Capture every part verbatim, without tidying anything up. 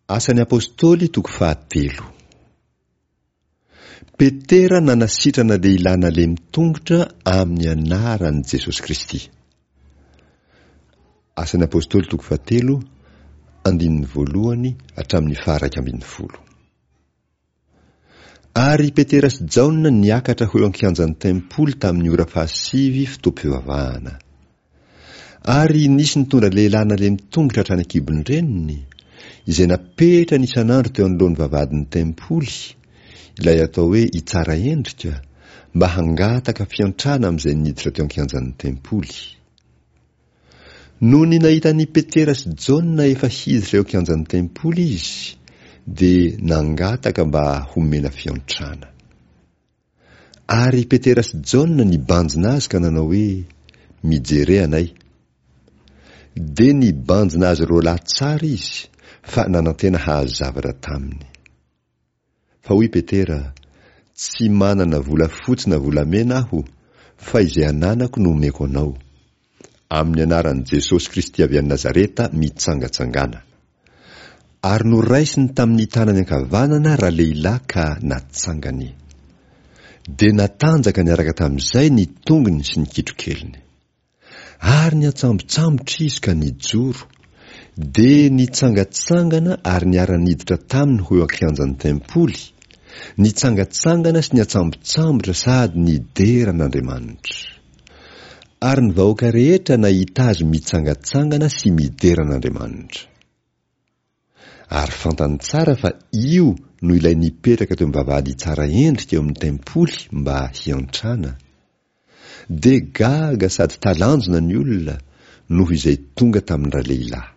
Asan'ny Apostoly toko fahatelo. Petera nanasitrana lehilahy nalemy tongotra amin'ny anaran'i Jesosy Kristy. Asan'ny Apostoly toko fahatelo, andininy voalohany hatramin'ny faharaika ambin'ny folo. Ary Petera sy Jaona niakatra ho eo an-kianjan'ny tempoly tamin'ny ora fahasivy fotoam-pivavahana. Ary nisy nitondra lehilahy nalemy tongotra hatrany an-kibon-dreniny, izay napetrany isan'andro teo anoloan'ny vavahadin'ny tempoly, ilay atao hoe Itsaraendrika, mba hangataka fiantrana amin'izay niditra teo an-kianjan'ny tempoly. Nony nahita an'i Petera sy Jaona efa hiditra eo an-kianjan'ny tempoly izy, dia nangataka mba homena fiantrana. Ary Petera sy Jaona nibanjina azy ka nanao hoe, Mijere anay. Dia nibanjina azy roa lahy tsara izy, fa nanantena hahazo zavatra taminy. Fa hoy Petera, Tsy manana volafotsy na volamena aho, fa izay ananako no omeko anao. Amin'ny anaran'i Jesosy Kristy avy any Nazareta mitsangatsangàna. Ary noraisiny tamin'ny tanany ankavanana ralehilahy ka natsangany. Dia natanjaka niaraka tamin'izay ny tongony sy ny kitrokeliny. Ary niantsambotsambotra izy ka nijoro, dia nitsangatsangana ary niara-niditra taminy ho eo an-kianjan'ny tempoly, nitsangatsangana sy niantsambotsambotra sady nidera an'Andriamanitra. Ary ny vahoaka rehetra nahita azy mitsangatsangana sy midera an'Andriamanitra. Ary fantany tsara fa io no ilay nipetraka teo amin'ny vavahady tsara endrika eo amin'ny tempoly mba hiantrana. Dia gaga sady talanjona ny olona noho izay tonga tamin-dralehilahy.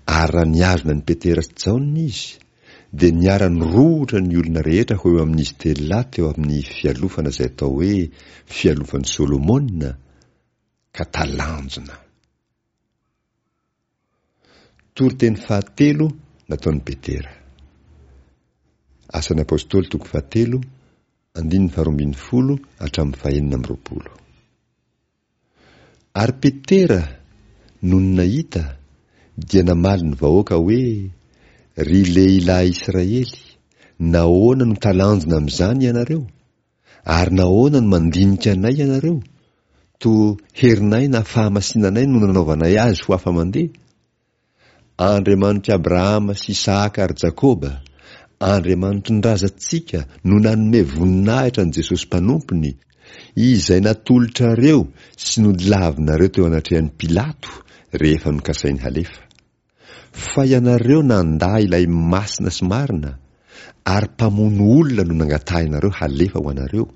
Ary raha nihazona an'i Petera sy Jaona izy, dia niara-nirohotra ny olona rehetra ho eo amin'izy telo lahy teo amin'ny fialofana izay atao hoe fialofan'i Solomona, ka talanjona. Toriteny fahatelo nataon'i Petera. Asan'ny Apostoly toko fahatelo, andininy faharoa ambin'ny folo hatramin'ny fahenina amby roapolo. Ary Petera, nony nahita, dia namaly ny vahoaka hoe, Ry lehilahy Israely, nahoana no talanjona amin'izany ianareo? Ary nahoana no mandinika anay ianareo? Toa herinay na fahamasinanay no nanaovanay azy ho afa-mandeha? Andriamanitr'i Abrahama sy Isahaka ary Jakoba, Andriamanitry ny razantsika no nanome voninahitra an'i Jesosy Mpanompony, izay natolotrareo sy nodilavinareo teo anatrehan'i Pilato rehefa nokasainy halefa. Fa ianareo nandà ilay Masina sy Marina, ary mpamono olona no nangatahinareo halefa ho anareo.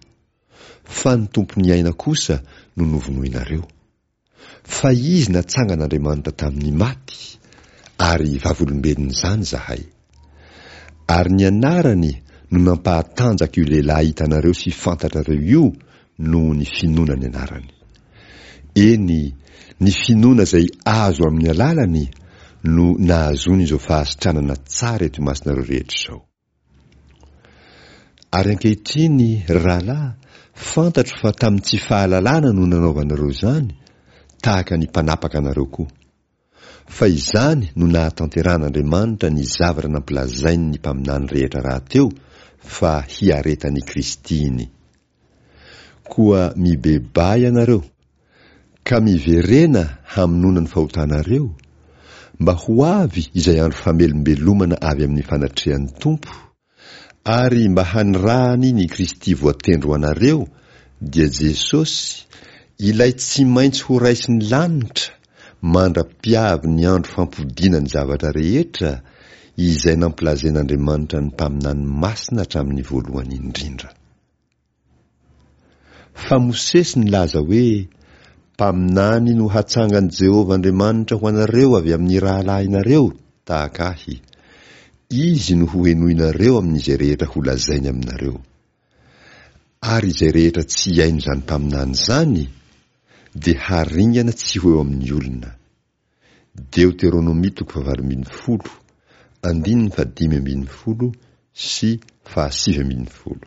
Fa ny Tompon'ny aina kosa no novonoinareo. Fa Izy natsangan'Andriamanitra tamin'ny maty, ary vavolombelon'izany izahay. Ary ny anarany no nampahatanjaka io lehilahy hitanareo sy fantatrareo io noho ny finoana ny anarany. Eny, ny finoana izay azo amin'ny alalany no nahazoany izao fahasitranana tsara eto imasonareo rehetra izao. Ary ankehitriny, ry rahalahy, fantatro fa tamin'ny tsy fahalalana no nanaovanareo izany, tahaka ny mpanapaka anareo koa. Fa izany no nahatanterahan'Andriamanitra ny zavatra nampilazainy ny mpaminany rehetra rahateo fa hiaretan'i Kristy iny. Koa mibebaha ianareo, ka miverena hamonoana ny fahotanareo, mba ho avy izay andro famelombelomana avy amin'ny fanatrehan'ny Tompo, ary mba hanirahany ny Kristy voatendry ho anareo, dia Jesosy, ilay tsy maintsy horaisin'ny lanitra, mandra-piavy ny andro fampodiana ny zavatra rehetra, izay nampilazain'Andriamanitra ny mpaminany masina hatramin'ny voalohany indrindra. Fa Mosesy nilaza hoe, Mpaminany no hatsangan'i Jehovah Andriamanitra ho anareo avy amin'ny rahalahinareo, tahaka ahy. Izy no hohenoinareo amin'izay rehetra holazainy aminareo. Ary izay rehetra tsy hihaino izany mpaminany izany, dia haringana tsy ho eo amin'ny olona. Deoteronomia toko fahavalo ambin'ny folo, andininy fahadimy ambin'ny folo sy fahasivy ambin'ny folo.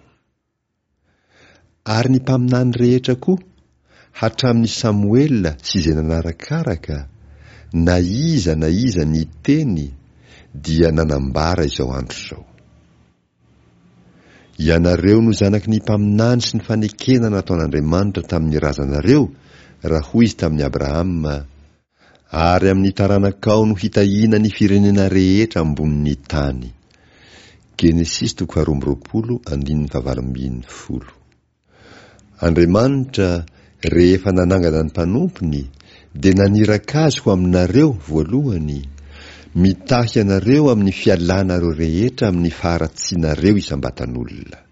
Ary ny mpaminany rehetra koa, hatramin'i Samoela sy izay nanarakaraka, na iza na iza niteny, dia nanambara izao andro izao. Ianareo no zanaky ny mpaminany sy ny fanekena nataon'Andriamanitra tamin'ny razanareo, raha hoy izy tamin'i Abrahama, Ary amin'ny taranakao no hitahiana ny firenena rehetra ambonin'ny tany. Genesisy toko faharoa amby roapolo andininy fahavalo ambin'ny folo. Andriamanitra, rehefa nanangana ny mpanompony, dia naniraka azy ho aminareo voalohany, mitahy anareo amin'ny fialanareo rehetra amin'ny faharatsianareo isam-batan'olona.